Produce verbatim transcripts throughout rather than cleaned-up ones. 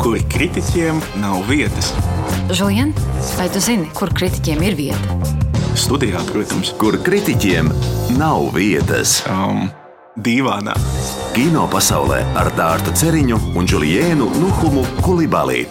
kur kritiķiem nav vietas. Žulien, vai tu zini, kur kritiķiem ir vieta? Studijā, protams. Kur kritiķiem nav vietas. Um, dīvānā. Kino pasaulē ar Dārtu Ceriņu un Džuliēnu Nuhumu Kulibalī.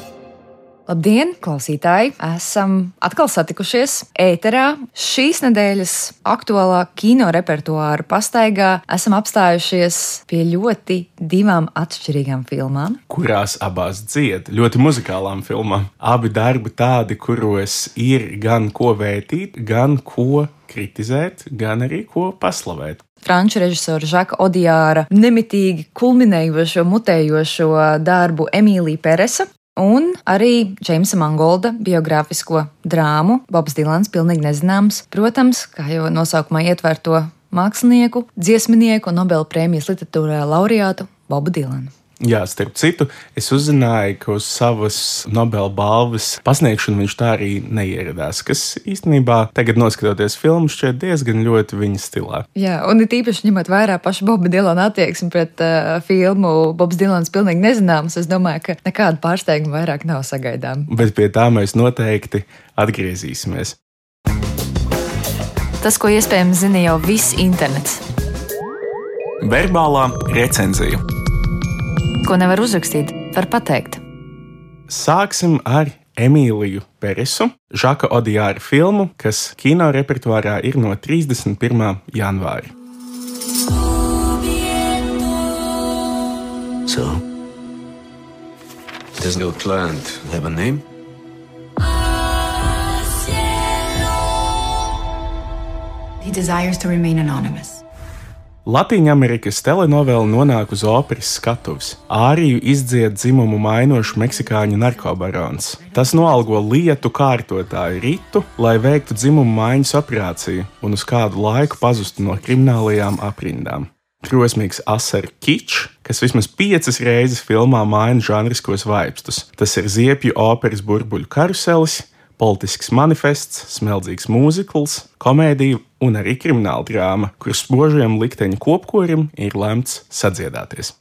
Labdien, klausītāji! Esam atkal satikušies ēterā. Šīs nedēļas aktuālā kino repertuāra pastaigā esam apstājušies pie ļoti divām atšķirīgām filmām, kurās abās dzied, ļoti muzikālām filmām. Abi darbi tādi, kuros ir gan ko vērtīt, gan ko kritizēt, gan arī ko paslavēt. Franču režisora Žaka Odiāra nemitīgi kulminējošo, mutējošo darbu Emīlija Peresa. Un arī Džeimsa Mangolda biogrāfisko drāmu Bobs Dilans pilnīgi nezināms. Protams, kā jau nosaukumā ietver to mākslinieku, dziesminieku un Nobela prēmijas literatūrā laureātu Bobu Dilanu. Jā, starp citu, es uzzināju, ka uz savas Nobela balvas pasniegšanu viņš tā arī neieradās, kas īstenībā tagad noskatoties filmu šķiet diezgan ļoti viņa stilā. Jā, un it īpaši ņemot vērā pašu Boba Dilana attieksmi pret uh, filmu Bobs Dilans pilnīgi nezināms, es domāju, ka nekāda pārsteiguma vairāk nav sagaidām. Bet pie tā mēs noteikti atgriezīsimies. Tas, ko iespējams zina jau viss internets. Verbālā recenzija. Ko nevar uzrakstīt, var pateikt. Sāksim ar Emīliju Peresu, Žaka Odiāra filmu, kas kino repertuārā ir no trīsdesmit pirmā janvāra. So, this little plant have a name? He desires to remain anonymous. Latīņamerikas telenovela nonāk uz operas skatuves. Āriju izdzied dzimumu mainošu meksikāņu narkobarons. Tas noalgo lietu kārtotāju Ritu, lai veiktu dzimumu maiņas operāciju un uz kādu laiku pazustu no kriminālajām aprindām. Drosmīgs asaru kičs, kas vismaz piecas reizes filmā maina žanriskos vaipstus. Tas ir ziepju operas burbuļu karuselis, politisks manifests, smeldzīgs mūzikls, komēdija un arī krimināla drāma, kuras spožajam likteņa kopkorim ir lemts sadziedāties.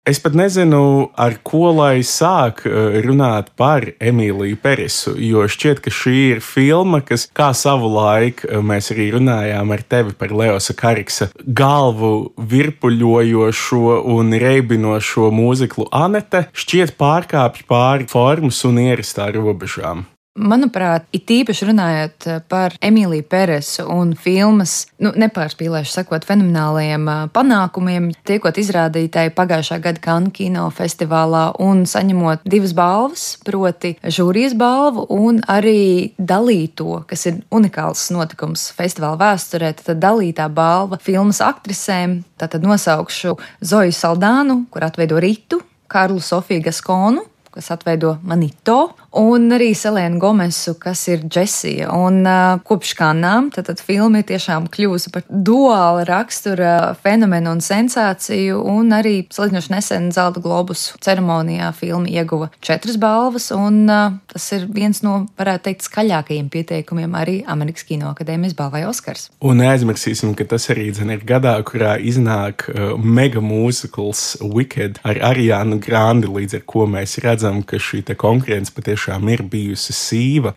Es pat nezinu, ar ko lai sāk runāt par Emīliju Peresu, jo šķiet, ka šī ir filma, kas, kā savu laiku mēs arī runājām ar tevi par Leosa Kariksa galvu virpuļojošo un reibinošo mūziklu Anete, šķiet pārkāpj pāri formas un ierastā robežām. Manuprāt, it īpaši runājot par Emīliju Peresu un filmas, nu, nepārspīlēšu sakot, fenomenālajiem panākumiem, tiekot izrādītāji pagājušā gada Cannes kino festivālā un saņemot divas balvas, proti žūrijas balvu un arī dalīto, kas ir unikāls notikums festivāla vēsturē, tad dalītā balva filmas aktrisēm, tātad nosaukšu Zoju Saldānu, kur atveido Ritu, Karlu Sofiju Gaskonu, kas atveido Manito, un arī Selēnu Gomesu, kas ir Džesija. Un uh, kopš Kannām, tad, tad filma ir tiešām kļūsi par duāla rakstura fenomenu un sensāciju, un arī salīdzinoši nesen Zelta globusu ceremonijā filma ieguva četras balvas, un uh, tas ir viens no, varētu teikt, skaļākajiem pieteikumiem arī Amerikas Kino akadēmijas balvai Oskars. Un neaizmirsīsim, ka tas arī dzen ir gadā, kurā iznāk uh, mega mūzikls Wicked ar Ariānu Grandi, līdz ar ko mēs redzam, ka šī te konkurence patiešām ir bijusi sīva.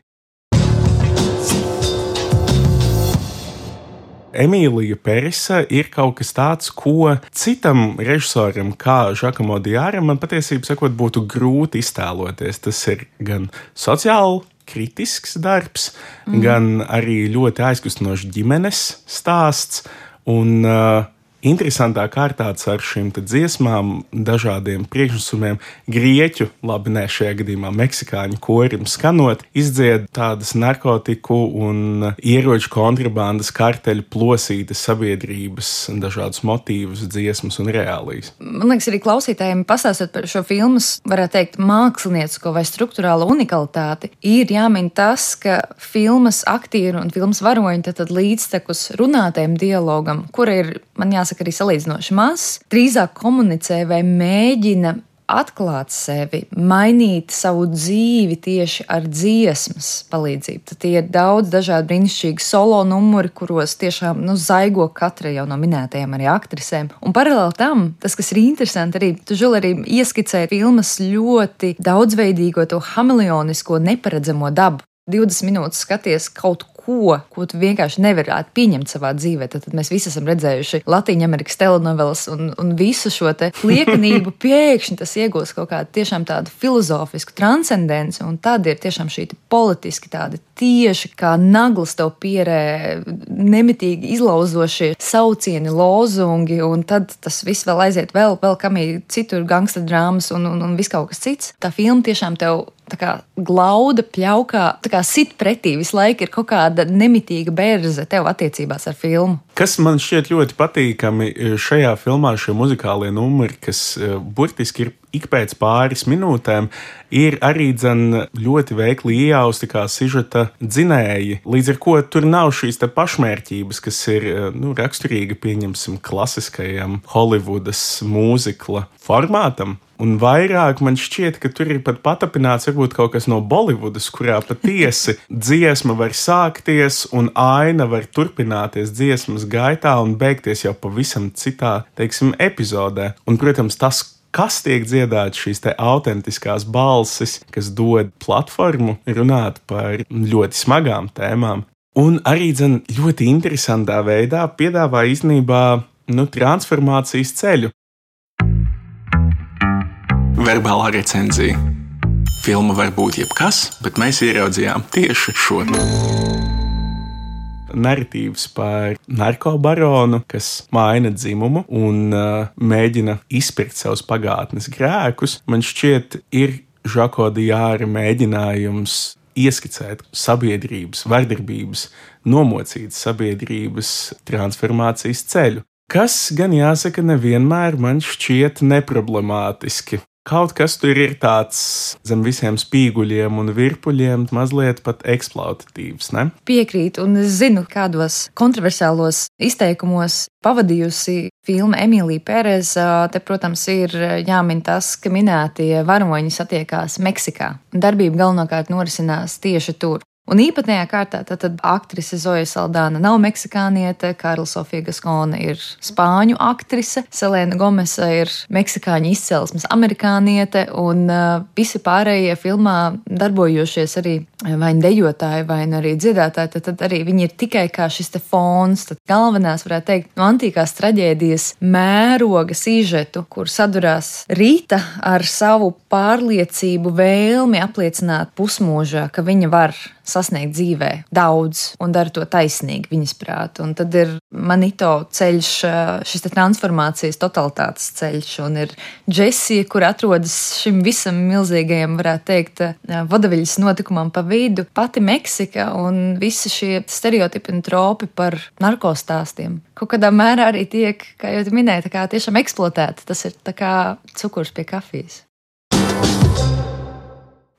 Emīlija Peresa ir kaut kas tāds, ko citam režisoram, kā Žakam Odiāram, man patiesībā sakot, būtu grūti iztēloties. Tas ir gan sociāli kritisks darbs, mm. gan arī ļoti aizkustinošs ģimenes stāsts un uh, interesantā kārtāts ar šīm dziesmām, dažādiem priekšnosumiem, grieķu, labi, ne šajā gadījumā meksikāņu korim skanot, izdzied tādas narkotiku un ieroču kontrabandas karteļu plosītas sabiedrības, dažādus motīvus, dziesmas un reālijas. Man liekas, arī klausītājiem pastāstot par šo filmas, varētu teikt, māksliniecisko vai struktūrālo unikalitāti, ir jāmin tas, ka filmas aktieri un filmas varoņi tad, tad līdztekus runātajam dialogam, kura ir, man jāsaka, arī salīdzinoši mazs, drīzāk komunicē vai mēģina atklāt sevi, mainīt savu dzīvi tieši ar dziesmas palīdzību. Tad tie ir daudz dažādi brīnišķīgi solo numuri, kuros tiešām nu, zaigo katra jau no minētajām arī aktrisēm. Un paralēli tam, tas, kas ir interesanti, arī tu, Žul, arī ieskicēji filmas ļoti daudzveidīgo, to hameleonisko, neparedzamo dabu. divdesmit minūtes skaties kaut ko, ko tu vienkārši nevarētu pieņemt savā dzīvē. Tad, tad mēs visi esam redzējuši Latīņamerikas telenovelas un, un visu šo te liekanību pēkšņi tas iegūst kaut kādu tiešām tādu filozofisku transcendenci, un tad ir tiešām šī politiski tādi tieši kā naglas tev pierē nemitīgi izlauzošie saucieni, lozungi, un tad tas viss vēl aiziet vēl, vēl kamī citur gangsta drāmas un, un, un viss kaut kas cits. Tā filma tiešām tev tā kā glauda, pļaukā, tā kā sit pretī visu laiku ir kaut kāda nemitīga berze tev attiecībās ar filmu. Kas man šķiet ļoti patīkami šajā filmā, šie muzikālie numuri, kas burtiski ir ik pēc pāris minūtēm, ir arī dzen ļoti veikli iejausti kā sižeta dzinēji, līdz ar ko tur nav šīs te pašmērķības, kas ir nu, raksturīga, pieņemsim, klasiskajam Holivudas mūzikla formātam. Un vairāk man šķiet, ka tur ir pat patapināts varbūt kaut kas no Bolivudas, kurā patiesi dziesma var sākties un aina var turpināties dziesmas gaitā un beigties jau pavisam citā, teiksim, epizodē. Un, protams, tas, kas tiek dziedāts, šīs te autentiskās balsis, kas dod platformu runāt par ļoti smagām tēmām. Un arī dzen ļoti interesantā veidā piedāvā īstenībā nu, transformācijas ceļu. Verbālā recenzija. Filma var būt jebkas, bet mēs ieraudzījām tieši šo. Narratīvs par narkobaronu, kas maina dzimumu un uh, mēģina izpirkt savus pagātnes grēkus, man šķiet ir Žako Diāra mēģinājums ieskicēt sabiedrības, vardarbības, nomocītas sabiedrības transformācijas ceļu, kas gan jāsaka nevienmēr man šķiet neproblemātiski. Kaut kas tur ir tāds zem visiem spīguļiem un virpuļiem, mazliet pat eksploatatīvs, ne? Piekrīt, un es zinu, kādos kontroversālos izteikumos pavadījusi filma Emīlija Pereza. Te, protams, ir jāmin tas, ka minētie varoņi satiekās Meksikā, un darbība galvenokārt norisinās tieši tur. Un īpatnējā kārtā tad, tad aktrise Zoja Saldana nav meksikāniete, Karla Sofija Gaskone ir spāņu aktrise, Selena Gomesa ir meksikāņu izcelsmes amerikāniete, un uh, visi pārējie filmā darbojošies arī vai nu dejotāji, vai nu arī dziedātāji, tad, tad arī viņi ir tikai kā šis te fons, tad galvenās, varētu teikt, no antīkās traģēdijas mēroga sižetu, kur sadurās Rita ar savu pārliecību, vēlmi apliecināt pusmūžā, ka viņa var sasniegt dzīvē daudz un dara to taisnīgi viņas prāt. Un tad ir Manito ceļš, šis te transformācijas totalitātes ceļš, un ir Džesija, kur atrodas šim visam milzīgajam, varētu teikt, vodaviļas notikumam pa vidu, pati Meksika un visi šie stereotipi un tropi par narkostāstiem. Kaut kādā mērā arī tiek, kā jau tu minēji, tā kā tiešām eksploatēti. Tas ir tā kā cukurs pie kafijas.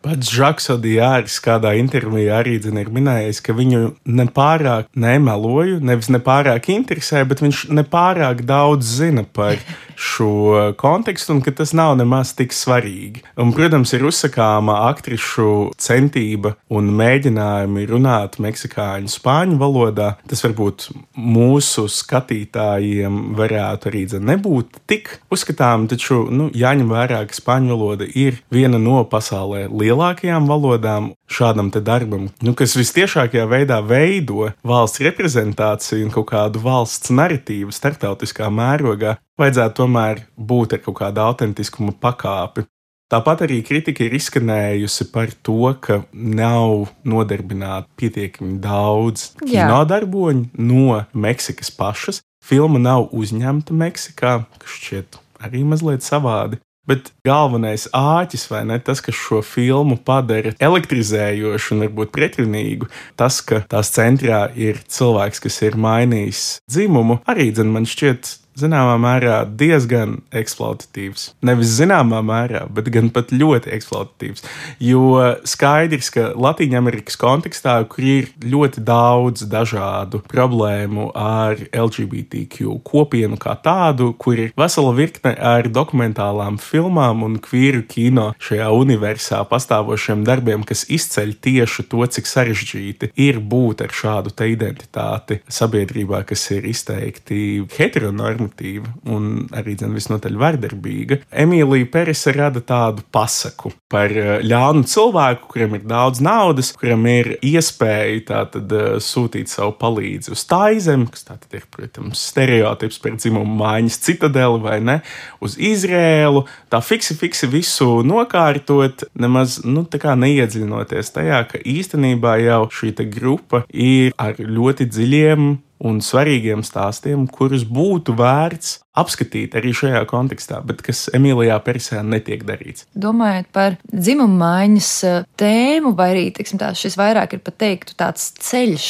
Pats Žaks Diārs kādā intervijā arī zin, ir minējis, ka viņu nepārāk nemeloju, nevis nepārāk interesē, bet viņš nepārāk daudz zina par šo kontekstu un ka tas nav nemaz tik svarīgi. Un, protams, ir uzsakāma aktrišu centība un mēģinājumi runāt meksikāņu spāņu valodā. Tas varbūt mūsu skatītājiem varētu arī zin, nebūt tik uzskatām, taču nu, jāņem vērā, ka spāņu valoda ir viena no pasaulē lielākajām valodām šādam te darbam, nu, kas vistiešākajā veidā veido valsts reprezentāciju un kaut kādu valsts narratīvu starptautiskā mērogā, vajadzētu tomēr būt ar kaut kādu autentiskuma pakāpi. Tāpat arī kritika ir izskanējusi par to, ka nav nodarbināti pietiekami daudz kinodarboņu no Meksikas pašas. Filma nav uzņemta Meksikā, kas šķiet arī mazliet savādi. Bet galvenais āķis, vai ne, tas, kas šo filmu padara elektrizējošu un varbūt pretrunīgu, tas, ka tās centrā ir cilvēks, kas ir mainījis dzimumu, arī, dzen, man šķiet, zināmā mērā diezgan eksploatatīvs. Nevis zināmā mērā, bet gan pat ļoti eksploatatīvs. Jo skaidrs, ka Latīņamerikas kontekstā, kur ir ļoti daudz dažādu problēmu ar L G B T Q kopienu kā tādu, kur ir vesela virkne ar dokumentālām filmām un kvīru kino šajā universā pastāvošiem darbiem, kas izceļ tieši to, cik sarežģīti ir būt ar šādu te identitāti sabiedrībā, kas ir izteikti heteronormatīva un arī dzen visnotaļ vardarbīga. Emīlija Perese rada tādu pasaku par ļaunu cilvēku, kuram ir daudz naudas, kuram ir iespēja tātad sūtīt savu palīdzi uz Taizemi, kas tātad ir, protams, stereotips par dzimumu maiņas citadeli vai ne, uz Izrēlu, tā fiksi, fiksi visu nokārtot, nemaz, nu, tā kā neiedziļinoties tajā, ka īstenībā jau šī te grupa ir ar ļoti dziļiem un svarīgiem stāstiem, kurus būtu vērts apskatīt arī šajā kontekstā, bet kas Emīlijā Peresē netiek darīts. Domājot par dzimumu maiņas tēmu, vai arī, teiksim tā, šis vairāk ir pat teiktu tāds ceļš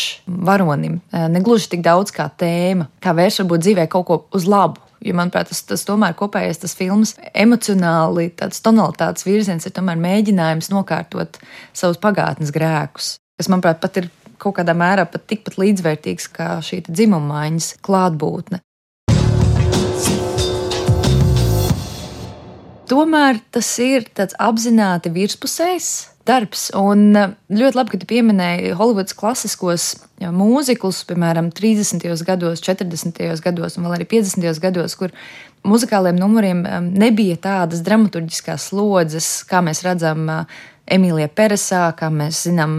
varonim, negluži tik daudz kā tēma, kā vērš varbūt dzīvē kaut ko uz labu. Jo, manuprāt, tas, tas tomēr kopējais tas filmas emocionāli, tāds tonalitātes virziens ir tomēr mēģinājums nokārtot savus pagātnes grēkus, kas, manuprāt, pat ir kaut kādā mērā pat tikpat līdzvērtīgs kā šī dzimuma maiņas klātbūtne. Tomēr tas ir tāds apzināti virspusējs darbs, un ļoti labi, ka tu pieminēji Holivudas klasiskos mūziklus, piemēram, trīsdesmitajos gados, četrdesmitajos gados un vēl arī piecdesmitajos gados, kur muzikāliem numuriem nebija tādas dramaturģiskās slodzes, kā mēs redzam Emīlijā Peresā, kā mēs zinām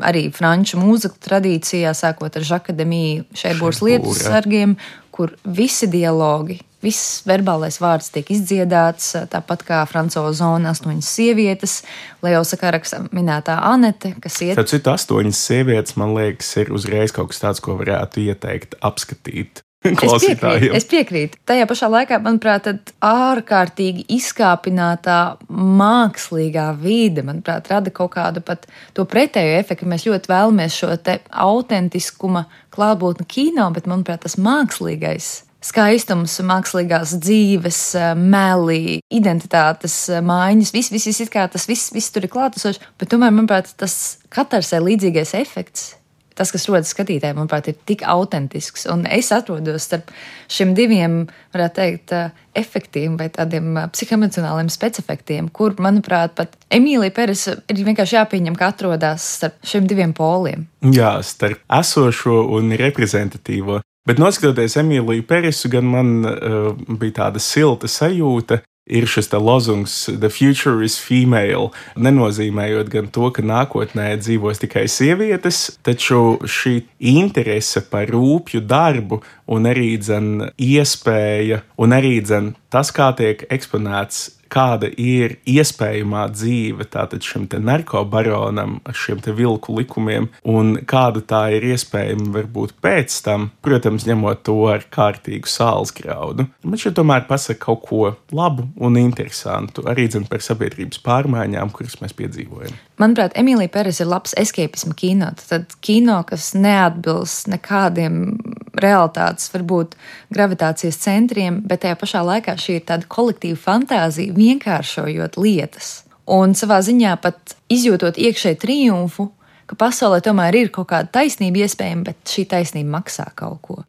arī franču mūziklu tradīcijā, sākot ar Žaka Demī Šerbūras lietus sargiem, kur visi dialogi, viss verbālais vārds tiek izdziedāts, tāpat kā Francoza Zona astoņas sievietes, Leo Sakaraks minētā Anete, kas iet... Tad citu astoņas sievietes, man liekas, ir uzreiz kaut kas tāds, ko varētu ieteikt, apskatīt. Es piekrītu, es piekrītu. Tajā pašā laikā, manuprāt, tad ārkārtīgi izkāpinātā mākslīgā vide, manuprāt, rada kaut kādu pat to pretējo efektu. Mēs ļoti vēlamies šo te autentiskuma klātbūtni kino, bet, manuprāt, tas mākslīgais skaistums, mākslīgās dzīves, meli, identitātes maiņas, viss, viss, viss, kā tas viss, viss tur ir klātesošs, bet tomēr, manuprāt, tas katarsē līdzīgais efekts, tas, kas rodas skatītājiem, manuprāt, ir tik autentisks. Un es atrodos starp šiem diviem, varētu teikt, efektiem vai tādiem psihoemocionāliem specefektiem, kur, manuprāt, pat Emīlija Perese ir vienkārši jāpieņem, ka atrodas starp šiem diviem poliem. Jā, starp esošo un reprezentatīvo. Bet noskatoties Emīliju Peresu, gan man uh, bija tāda silta sajūta, ir šis te lozungs The future is female, nenozīmējot gan to, ka nākotnē dzīvos tikai sievietes, taču šī interese par rūpju darbu un arī dzen iespēja un arī dzen tas, kā tiek eksponēts, kāda ir iespējamā dzīve tātad šim te narkobaronam ar šiem te vilku likumiem un kāda tā ir iespējama varbūt pēc tam, protams, ņemot to ar kārtīgu sāls graudu. Man šeit tomēr pasaka kaut ko labu un interesantu, arī dzen par sabiedrības pārmaiņām, kuras mēs piedzīvojam. Manuprāt, Emīlija Perese ir labs escapisma kino. Tad kino, kas neatbilst nekādiem realitātes, varbūt gravitācijas centriem, bet tajā pašā laikā šī ir tāda kolektīva fantāzija, vienkāršojot lietas. Un savā ziņā pat izjūtot iekšēju triumfu, ka pasaulē tomēr ir kaut kāda taisnība iespējama, bet šī taisnība maksā kaut ko.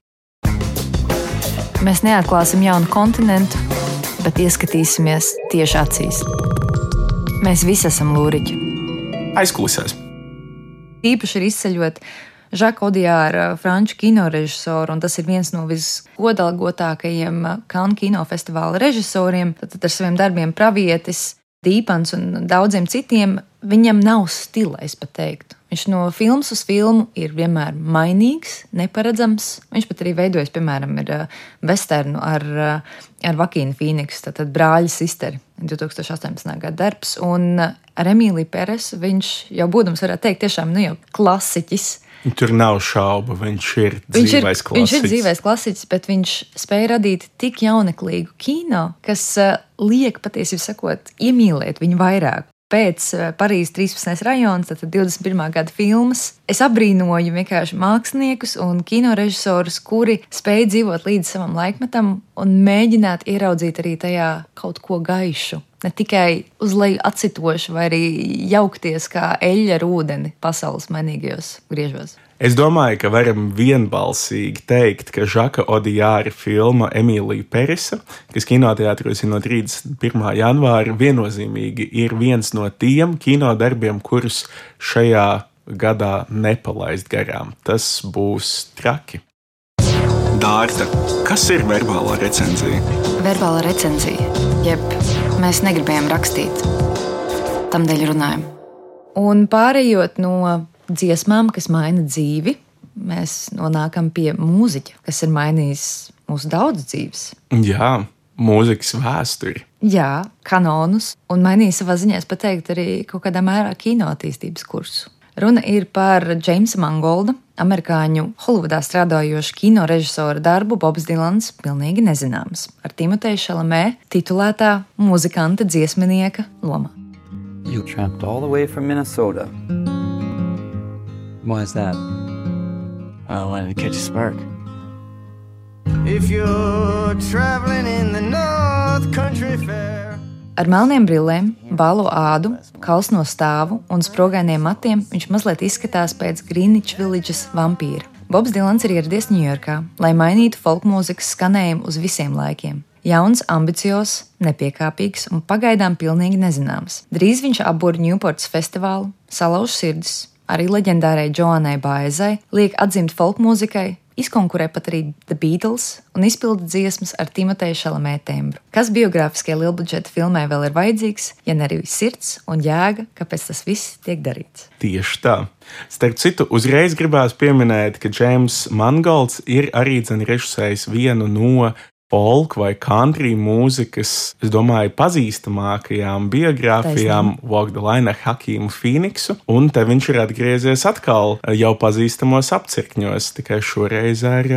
Mēs neatklāsim jaunu kontinentu, bet ieskatīsimies tieši acīs. Mēs visi esam lūriķi. Aizkulisēs. Īpaši ir izceļot Žaka Odiāra, franču kinorežisoru, un tas ir viens no visgodalgotākajiem Cannes kinofestivāla režisoriem. Tad ar saviem darbiem Pravietis, Dīpans un daudziem citiem viņam nav stila, es pat teiktu. Viņš no filmas uz filmu ir vienmēr mainīgs, neparedzams. Viņš pat arī veidojas, piemēram, ir vesternu ar, ar Vakīnu Fīniksu, tātad brāļa sisteri, divi tūkstoši astoņpadsmitā gada darbs. Un ar Emīliju Peresu viņš jau būdams, varētu teikt, tiešām nu jau klasiķis. Tur nav šaubu, viņš ir viņš dzīvais ir, klasiķis. Viņš ir dzīvais klasiķis, bet viņš spēja radīt tik jauneklīgu kino, kas liek patiesībā sakot, iemīlēt viņu vairāk. pēc Parīzes trīspadsmitais rajons, tad divdesmit pirmā gada filmas. Es abrīnoju vienkārši māksliniekus un kinorežisorus, kuri spēj dzīvot līdz savam laikmetam un mēģināt ieraudzīt arī tajā kaut ko gaišu. Ne tikai uz leju acitoši vai arī jaukties kā eļļa ar ūdeni pasaules mainīgajos griežos. Es domāju, ka varam vienbalsīgi teikt, ka Žaka Odiāra filma Emīlija Peresa, kas kinoteātros ir no trīsdesmit pirmā janvāra, viennozīmīgi ir viens no tiem kinodarbiem, kurus šajā gadā nepalaist garām. Tas būs traki. Dārta, kas ir verbālā recenzija? Verbāla recenzija, jeb mēs negribējām rakstīt, tamdēļ runājam. Un pārējot no dziesmām, kas maina dzīvi, mēs nonākam pie mūziķa, kas ir mainījis mūsu daudz dzīves. Jā, mūzikas vēsturi. Jā, kanonus, un mainīja savā ziņā, es pat teiktu, arī kaut kādā mērā kino attīstības kursu. Runa ir par Džeimsa Mangolda, amerikāņu Holivudā strādājošu kino režisora darbu Bobs Dilans pilnīgi nezināms, ar Timoteju Šalamē titulētā muzikanta dziesminieka lomā. You tramped all the way from Minnesota. Why is that? I wanted to catch a spark. If you're traveling in the North Country Fair. Ar melniem brillēm, balo ādu, kalsno stāvu un sprogainiem matiem viņš mazliet izskatās pēc Greenwich Villages vampīra. Bobs Dilans ir ieradies Ņujorkā, lai mainītu folkmūzikas skanējumu uz visiem laikiem. Jauns, ambiciozs, nepiekāpīgs un pagaidām pilnīgi nezināms. Drīz viņš apbur Newports festivālu, salauž sirdis, arī leģendārai Joanai Baezai, liek atzimt folkmūzikai, izkonkurē pat arī The Beatles un izpilda dziesmas ar Timoteju Šalamē tembru. Kas biogrāfiskajai lielbudžeta filmai vēl ir vajadzīgs, ja ne arī sirds un jēga, kāpēc tas viss tiek darīts? Tieši tā. Starp citu, uzreiz gribās pieminēt, ka Džeims Mangolds ir arī dzen režisējis vienu no folk vai country mūzikas, es domāju, pazīstamākajām biogrāfijām Walk the Line ar Hakīmu Fīniksu, un te viņš ir atgriezies atkal jau pazīstamos apcirkņos, tikai šoreiz ar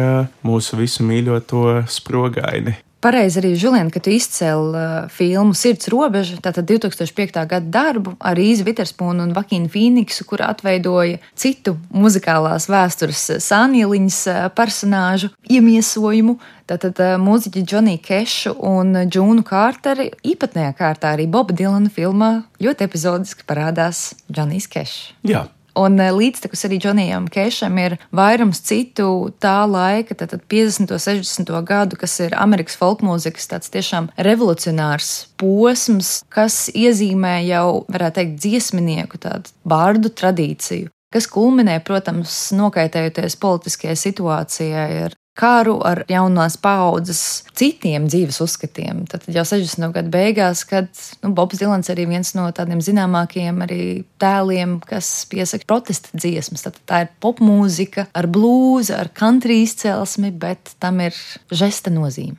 mūsu visu mīļoto Sprogaini. Pareizi arī, Žulien, ka tu izcēli uh, filmu Sirds robeža, tātad divtūkstoš piekta gada darbu ar Īzi Viterspūnu un Vakīnu Fīniksu, kur atveidoja citu muzikālās vēstures sānieliņas uh, personāžu iemiesojumu, tātad uh, mūziķi Džoniju Kešu un Džūnu Kārteri, īpatnējā kārtā arī Boba Dilana filmā ļoti epizodiski parādās Džonijs Kešs. Jā. Un līdztekus arī Džonijam Kešam ir vairums citu tā laika, tātad piecdesmito, sešdesmito gadu, kas ir Amerikas folkmūzikas tāds tiešām revolucionārs posms, kas iezīmē jau, varētu teikt, dziesminieku tādu bārdu tradīciju, kas kulminē, protams, nokaitējoties politiskajai situācijai ar karu, ar jaunās paaudzes citiem dzīves uzskatiem. Tad jau sešdesmito gadu beigās, kad nu, Bobs Dilans arī viens no tādiem zināmākajiem arī tēliem, kas piesaka protesta dziesmas. Tad tā ir popmūzika ar blūzi, ar country izcelsmi, bet tam ir žesta nozīme.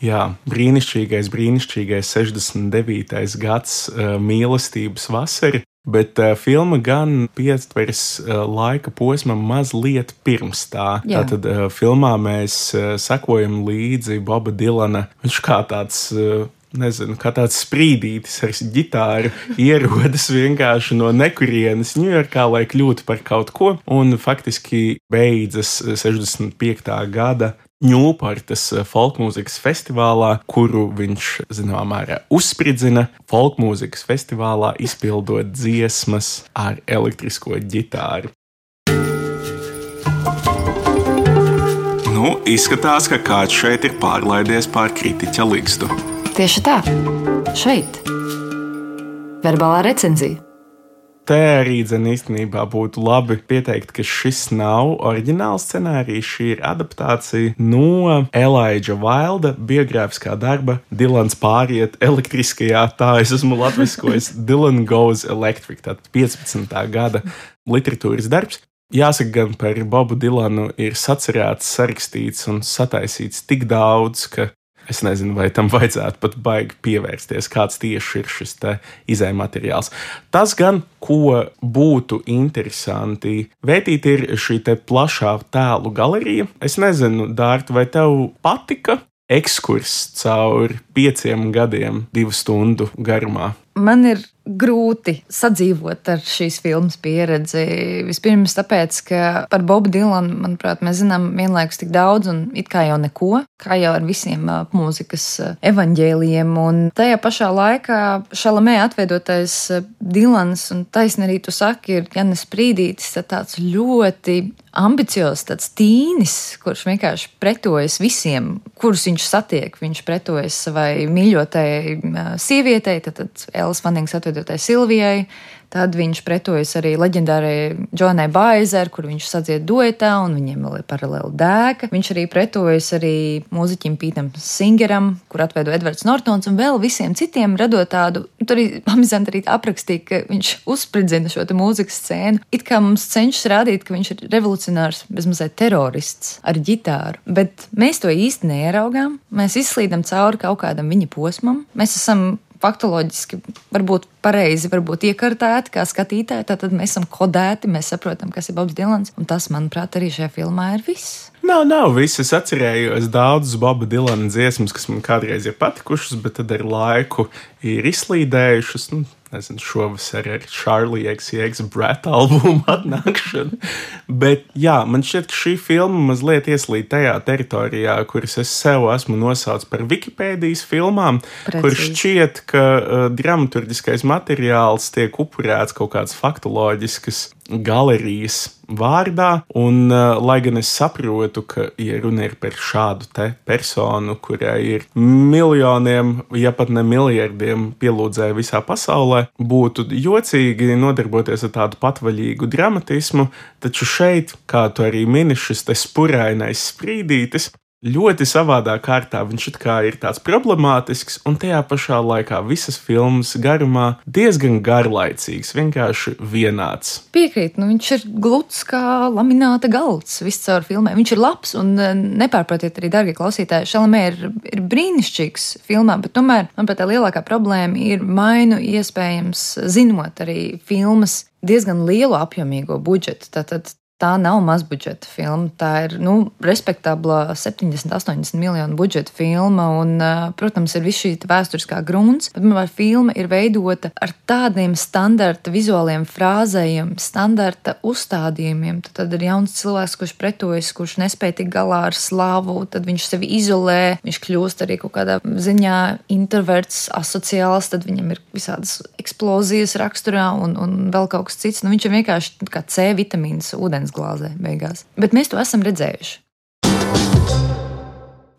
Jā, brīnišķīgais, brīnišķīgais sešdesmit devītais gads, mīlestības vasara. Bet uh, filma gan pietvers uh, laika posmam mazliet pirms tā. Jā. Tātad uh, filmā mēs uh, sekojam līdzi Boba Dilana. Viņš kā tāds, uh, nezinu, kā tāds sprīdītis ar ģitāru ierodas vienkārši no nekurienes Ņujorkā, lai kļūtu par kaut ko. Un faktiski beidzas sešdesmit piektā gada Ņūportas folkmūzikas festivālā, kuru viņš, zināmā mērā, uzspridzina folkmūzikas festivālā, izpildot dziesmas ar elektrisko ģitāru. Nu, izskatās, ka kāds šeit ir pārlaidies pār kritiķa ligzdu. Tieši tā. Šeit. Verbālā recenzija. Te arī dzen īstenībā būtu labi pieteikt, ka šis nav oriģināls scenārijs, šī ir adaptācija no Elijah Wilda biogrāfiskā darba Dilans pāriet elektriskajā, tā es esmu latviskojis, Dylan Goes Electric, tātad piecpadsmitā gada literatūras darbs. Jāsaka, gan par Bobu Dilanu ir sacerēts, sarakstīts un sataisīts tik daudz, ka es nezinu, vai tam vajadzētu pat baigi pievērsties, kāds tieši ir šis te izējmateriāls. Tas gan, ko būtu interesanti vētīt, ir šī te plašā tēlu galerija. Es nezinu, Dārta, vai tev patika ekskurs cauri pieciem gadiem, divu stundu garumā. Man ir grūti sadzīvot ar šīs filmas pieredzi. Vispirms tāpēc, ka par Bobu Dilanu, manuprāt, mēs zinām vienlaikus tik daudz un it kā jau neko, kā jau ar visiem mūzikas evaņģēlijiem. Un tajā pašā laikā Šalamē atveidotais Dilans, un taisni arī tu saki, ir Jannis Prīdītis, tāds ļoti ambiciozs, tāds tīnis, kurš vienkārši pretojas visiem, kurus viņš satiek. Viņš pretojas savai mīļotajai sievietei, tad, tad Ellis Fannings atveidotai Silvijai, tad viņš pretojas arī leģendārajai Joanai Baizer, kur viņš sadzied duetā, un viņiem vēl ir paralēli dēka. Viņš arī pretojas arī mūziķim Pītam Singeram, kur atveido Edvards Nortons, un vēl visiem citiem radot tādu, tur arī amizanti arī aprakstīja, ka viņš uzspridzina šo te mūzikas scēnu. It kā mums cenšas rādīt, ka viņš ir revolucionārs, bezmazliet terorists ar ģitāru, bet mēs to īsti neieraugām. Mēs izslīdam cauri kaut kādam viņa posmam. Mēs esam faktoloģiski varbūt pareizi, varbūt iekartēti kā skatītāji, tātad mēs esam kodēti, mēs saprotam, kas ir Bobs Dilans, un tas, manuprāt, arī šajā filmā ir viss. Nav, nav viss. Es atcerējos daudzas Boba Dilana dziesmas, kas man kādreiz ir patikušas, bet tad ar laiku ir izslīdējušas. Nu, nezinu, šovasar ar Charlie X C X Brat albumu atnākšanu. Bet jā, man šķiet, ka šī filma mazliet ieslīd tajā teritorijā, kuras es sev esmu nosaucis par Wikipēdijas filmām, Precīzi. Kur šķiet, ka uh, dramaturgiskais materiāls tiek upurēts kaut kāds faktoloģisks galerijas vārdā, un uh, lai gan es saprotu, ka, ja runa ir par šādu te personu, kurai ir miljoniem, ja pat ne miljardiem pielūdzēju visā pasaulē, būtu jocīgi nodarboties ar tādu patvaļīgu dramatismu, taču šeit, kā tu arī mini, šis te spurainais Sprīdītis, ļoti savādā kārtā viņš it kā ir tāds problemātisks, un tajā pašā laikā visas filmas garumā diezgan garlaicīgs, vienkārši vienāds. Piekrīt, nu viņš ir gluds kā lamināta galds viss caur filmai. Viņš ir labs, un nepārprotiet arī, dargie klausītāji, Šalamē ir, ir brīnišķīgs filmā, bet tomēr, manuprāt, tā lielākā problēma ir mainu iespējams zinot arī filmas diezgan lielu apjomīgo budžetu. Tātad tā nav mazbudžeta filma, tā ir, nu, respektabla septiņdesmit, astoņdesmit miljonu budžeta filma, un, protams, ir viss šī vēsturiskā grunts, bet, manuprāt, filma ir veidota ar tādiem standarta vizuāliem frāzējiem, standarta uzstādījumiem. Tad, tad ir jauns cilvēks, kurš pretojas, kurš nespēja tik galā ar slavu, tad viņš sevi izolē, viņš kļūst arī kaut kādā ziņā introverts, asociāls, tad viņam ir visādas eksplozijas raksturā un, un vēl kaut kas cits. Nu, viņš ir vienkārši kā C vitamīns ūdens glāzē beigās. Bet mēs to esam redzējuši.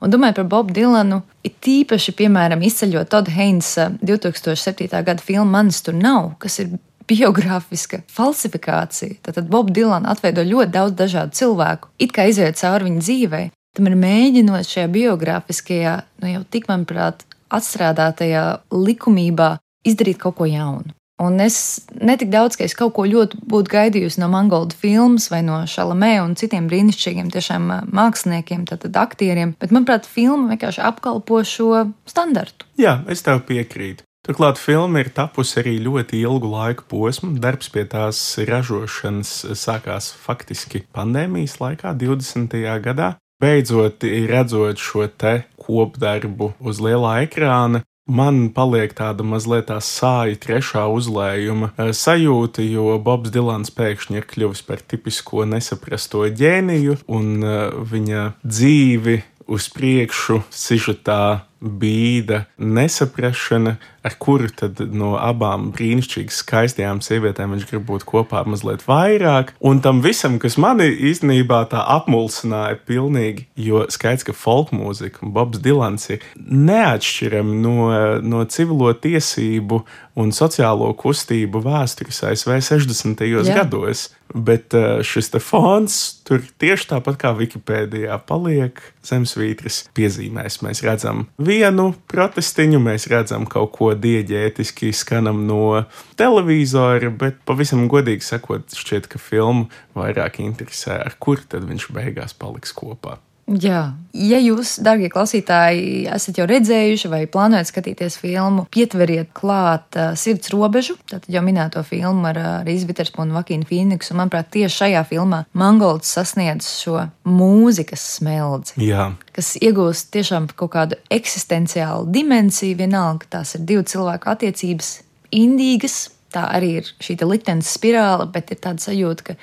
Un domājot par Bobu Dilanu, ir tīpaši, piemēram, izceļot Toda Heinsa divtūkstoš septītā gada filmu Manis tur nav, kas ir biogrāfiska falsifikācija. Tātad Bobu Dilanu atveido ļoti daudz dažādu cilvēku, it kā izējot cauri viņa dzīvei. Tam ir mēģinot šajā biogrāfiskajā, nu jau tik, manuprāt, atstrādātajā likumībā izdarīt kaut ko jaunu. Un es netik daudz, ka es kaut ko ļoti būtu gaidījusi no Mangolda filmas vai no Šalamē un citiem brīnišķīgiem tiešām māksliniekiem, tātad aktieriem, bet, manuprāt, filma vienkārši apkalpo šo standartu. Jā, es tev piekrītu. Turklāt filma ir tapusi arī ļoti ilgu laiku posmu. Darbs pie tās ražošanas sākās faktiski pandēmijas laikā, divdesmitajā gadā. Beidzot, redzot šo te kopdarbu uz lielā ekrāna, man paliek tāda mazliet tā sāja trešā uzlējuma sajūta, jo Bobs Dilans pēkšņi ir kļuvis par tipisko nesaprasto ģēniju, un viņa dzīvi uz priekšu sižetā bīda nesaprašana, ar kuru tad no abām brīnišķīgi skaistajām sievietēm viņš grib būt kopā mazliet vairāk. Un tam visam, kas mani īstenībā tā apmulsināja pilnīgi, jo skaidrs, ka folkmūzika un Bobs Dilans ir neatšķirami no, no civilo tiesību un sociālo kustību vēstures A S V sešdesmitajos Jā. gados. Bet šis te fons tur tieši tāpat kā Wikipēdijā paliek zemesvītras piezīmēs. Mēs redzam vienu protestiņu, mēs redzam kaut ko dieģētiski skanam no televizora, bet pavisam godīgi sakot, šķiet, ka filmu vairāk interesē, ar kur tad viņš beigās paliks kopā. Jā, ja jūs, darbie klausītāji, esat jau redzējuši vai plānojat skatīties filmu, pietveriet klāt uh, Sirds robežu, tātad jau minēto filmu ar uh, Rīzu Viterspunu un Vakīnu Fīniksu, un, manuprāt, tieši šajā filmā Mangolds sasniedz šo mūzikas smeldzi, Jā. kas iegūst tiešām kaut kādu eksistenciālu dimensiju, vienalga, ka tās ir divu cilvēku attiecības indīgas, tā arī ir šī liktenes spirāla, bet ir tāda sajūta, ka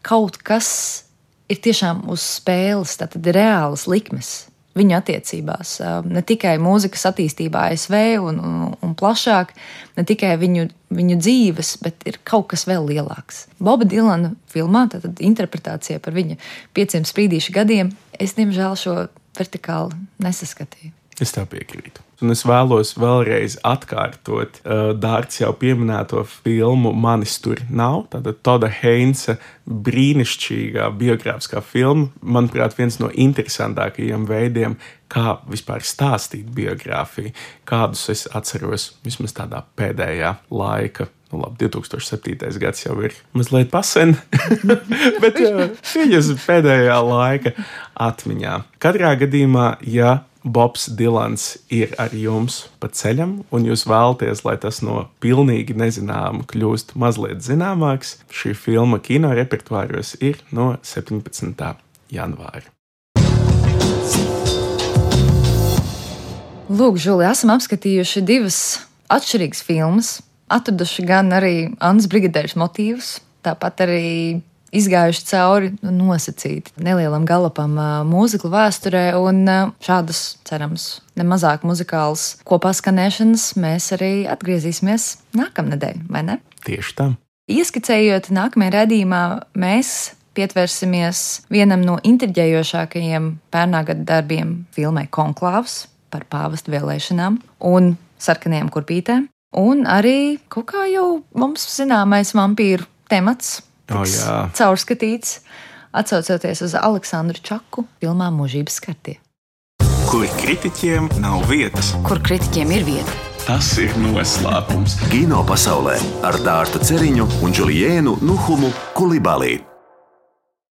kaut kas ir tiešām uz spēles, tātad reālas likmes viņu attiecībās. Ne tikai mūzikas attīstībā A S V un, un, un plašāk, ne tikai viņu, viņu dzīves, bet ir kaut kas vēl lielāks. Boba Dilana filmā, tātad interpretācija par viņa pieciem sprīdīšu gadiem, es, diemžēl, šo vertikāli nesaskatīju. Es tev piekrītu. Un es vēlos vēlreiz atkārtot uh, Dārts jau pieminēto filmu Manis tur nav. Tātad Toda Heinsa brīnišķīgā biogrāfiskā filma. Manuprāt, viens no interesantākajiem veidiem, kā vispār stāstīt biogrāfiju. Kādus es atceros vismaz tādā pēdējā laika. Nu, labi, divi tūkstoši septītais gads jau ir mazliet pasen, bet jā, viņas pēdējā laika atmiņā. Katrā gadījumā, ja Bobs Dilans ir ar jums pa ceļam, un jūs vēlaties, lai tas no pilnīgi nezināma kļūst mazliet zināmāks, šī filma kino repertuāros ir no septiņpadsmitā janvāra. Lūk, Žuli, esam apskatījuši divas atšķirīgas filmas, atraduši gan arī Annas Brigadēras motīvus, tāpat arī izgājuši cauri nosacīti nelielam galapam mūziklu vēsturē, un šādas, cerams, nemazāk muzikālas kopā skanēšanas mēs arī atgriezīsimies nākamnedēļ, vai ne? Tieši tā. Ieskicējot nākamajā raidījumā, mēs pietversimies vienam no intriģējošākajiem pērnā gada darbiem filmai Konklāvs par pāvestu vēlēšanām un sarkanajām kurpītēm, un arī kaut kā jau mums zināmais vampīru temats Oh, jā. caurskatīts, atsaucoties uz Aleksandru Čaku filmā Mūžības skartie. Kur kritiķiem nav vietas. Kur kritiķiem ir vieta? Tas ir noslēpums. Kino pasaulē ar Dārtu Ceriņu un Džuliēnu Nuhumu Kulibalī.